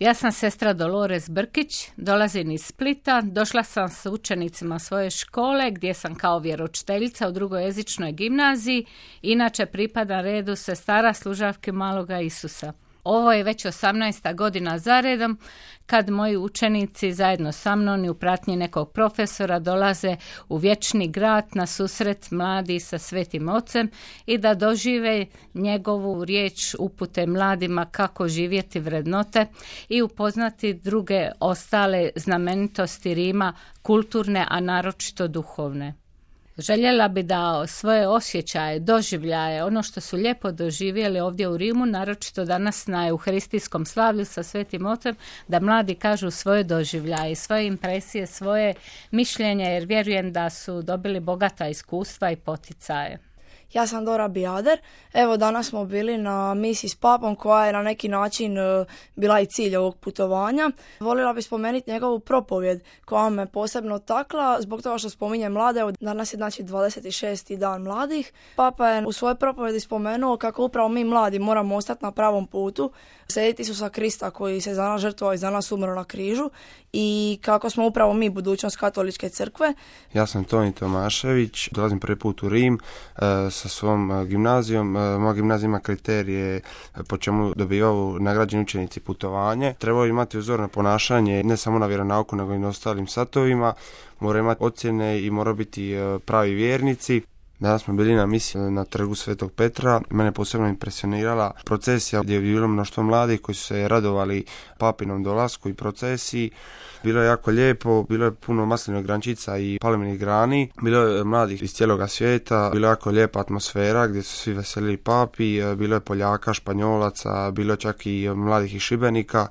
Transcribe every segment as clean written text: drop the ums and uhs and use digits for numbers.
Ja sam sestra Dolores Brkić, dolazim iz Splita, došla sam s učenicima svoje škole gdje sam kao vjeroučiteljica u drugojezičnoj gimnaziji, inače pripada redu sestara služavke Maloga Isusa. Ovo je već 18. godina zaredom kad moji učenici zajedno sa mnom i u pratnji nekog profesora dolaze u vječni grad na susret mladi sa Svetim Ocem i da dožive njegovu riječ upute mladima kako živjeti vrednote i upoznati druge ostale znamenitosti Rima, kulturne, a naročito duhovne. Željela bi da svoje osjećaje, doživljaje, ono što su lijepo doživjeli ovdje u Rimu, naročito danas na euharistijskom slavlju sa Svetim Ocem, da mladi kažu svoje doživljaje, svoje impresije, svoje mišljenje, jer vjerujem da su dobili bogata iskustva i poticaje. Ja sam Dora Bijader. Evo, danas smo bili na misiji s papom koja je na neki način bila i cilj ovog putovanja. Voljela bih spomenuti njegovu propovjed koja me posebno takla zbog toga što spominje mlade. Evo, danas je znači 26. dan mladih. Papa je u svojoj propovjedi spomenuo kako upravo mi mladi moramo ostati na pravom putu, slijediti Isusa Krista koji se za nas žrtvovao i za nas umro na križu i kako smo upravo mi budućnost katoličke crkve. Ja sam Toni Tomašević, dolazim prvi put u Rim sa svom gimnazijom. Moja gimnazija ima kriterije po čemu dobivaju nagrađeni učenici putovanje. Trebaju imati uzorno ponašanje ne samo na vjeronauku nego i na ostalim satovima. Moraju imati ocjene i moraju biti pravi vjernici. Danas smo bili na misiji na trgu Svetog Petra. Mene posebno impresionirala procesija gdje je bilo mnoštvo mladih koji su se radovali papinom dolasku i procesiji. Bilo je jako lijepo, bilo je puno maslinovih grančica i palminih grani. Bilo je mladih iz cijeloga svijeta, bilo je jako lijepa atmosfera gdje su svi veselili papi. Bilo je Poljaka, Španjolaca, bilo je čak i mladih iz Šibenika.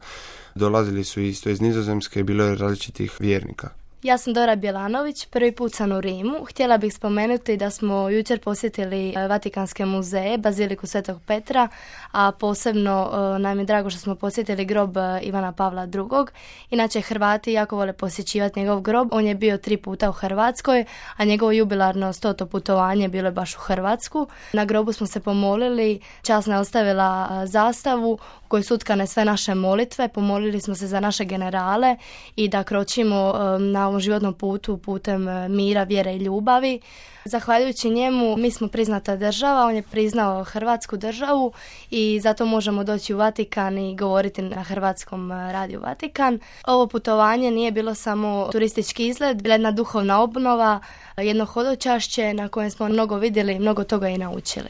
Dolazili su isto iz Nizozemske, bilo je različitih vjernika. Ja sam Dora Bjelanović, prvi put sam u Rimu. Htjela bih spomenuti da smo jučer posjetili Vatikanske muzeje, Baziliku Svetog Petra, a posebno nam je drago što smo posjetili grob Ivana Pavla II. Inače, Hrvati jako vole posjećivati njegov grob. On je bio 3 puta u Hrvatskoj, a njegovo jubilarno 100. putovanje bilo je baš u Hrvatsku. Na grobu smo se pomolili, časna je ostavila zastavu u kojoj su utkane sve naše molitve. Pomolili smo se za naše generale i da kročimo na ovom životnom putu putem mira, vjere i ljubavi. Zahvaljujući njemu mi smo priznata država, on je priznao Hrvatsku državu i zato možemo doći u Vatikan i govoriti na hrvatskom radiju Vatikan. Ovo putovanje nije bilo samo turistički izlet, bila jedna duhovna obnova, jedno hodočašće na kojem smo mnogo vidjeli i mnogo toga i naučili.